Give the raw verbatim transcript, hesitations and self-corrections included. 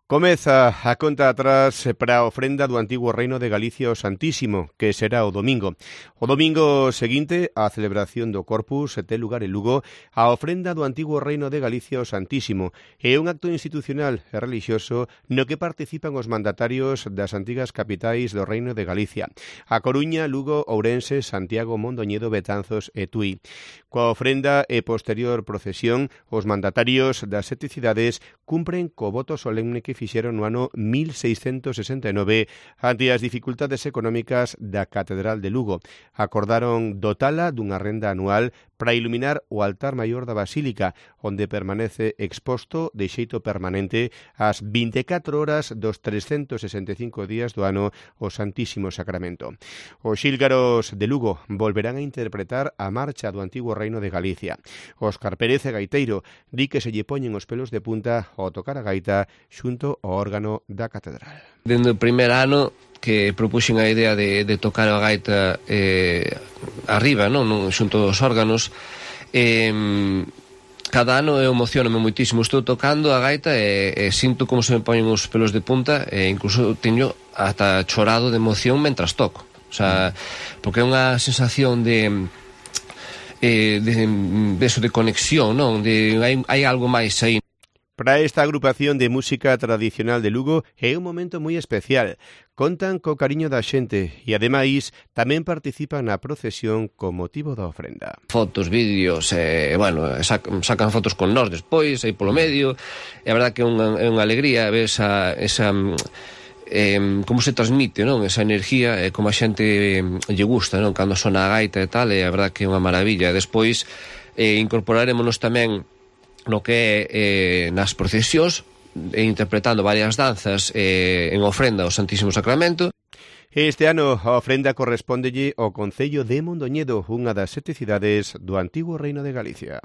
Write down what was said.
Comeza a conta atrás para a ofrenda do antigo reino de Galicia ao Santísimo, que será o domingo. O domingo seguinte, a celebración do Corpus ten lugar en Lugo, a ofrenda do antigo reino de Galicia ao Santísimo. É un acto institucional e religioso no que participan os mandatarios das antigas capitais do reino de Galicia: A Coruña, Lugo, Ourense, Santiago, Mondoñedo, Betanzos e Tui. Coa ofrenda e posterior procesión, os mandatarios das sete cidades cumpren co voto solemne que fixeron no ano mil seiscentos sesenta e nove ante as dificultades económicas da Catedral de Lugo. Acordaron dotala dunha renda anual para iluminar o altar maior da Basílica, onde permanece exposto de xeito permanente as vinte e catro horas dos trescentos sesenta e cinco días do ano o Santísimo Sacramento. Os xílgaros de Lugo volverán a interpretar a marcha do antigo reino de Galicia. Óscar Pérez, gaiteiro, di que se lle poñen os pelos de punta ao tocar a gaita xunto ao órgano da Catedral. Dende o primer ano que propuxen a idea de, de tocar a gaita eh, arriba, non? Xunto aos órganos, eh, cada ano eu emocioname moitísimo. Estou tocando a gaita e, e sinto como se me poñen os pelos de punta e incluso teño ata chorado de emoción mentras toco. O sea, porque é unha sensación de eh, de, de eso de conexión, non? De hai, hai algo máis aí. Para esta agrupación de música tradicional de Lugo é un momento moi especial. Contan co cariño da xente e, ademais, tamén participan na procesión con motivo da ofrenda. Fotos, vídeos, eh, bueno, sacan, sacan fotos con nós despois, aí polo medio. É a verdad que é unha, é unha alegría ver esa, esa eh, como se transmite, non? Esa enerxía, e eh, como a xente eh, lle gusta, non? Cando sona a gaita e tal, é a verdad que é unha maravilla. Despois eh, incorporarémonos tamén no que é eh, nas procesións, e interpretando varias danzas eh, en ofrenda ao Santísimo Sacramento. Este ano a ofrenda correspóndelle ao concello de Mondoñedo, unha das sete cidades do antigo reino de Galicia.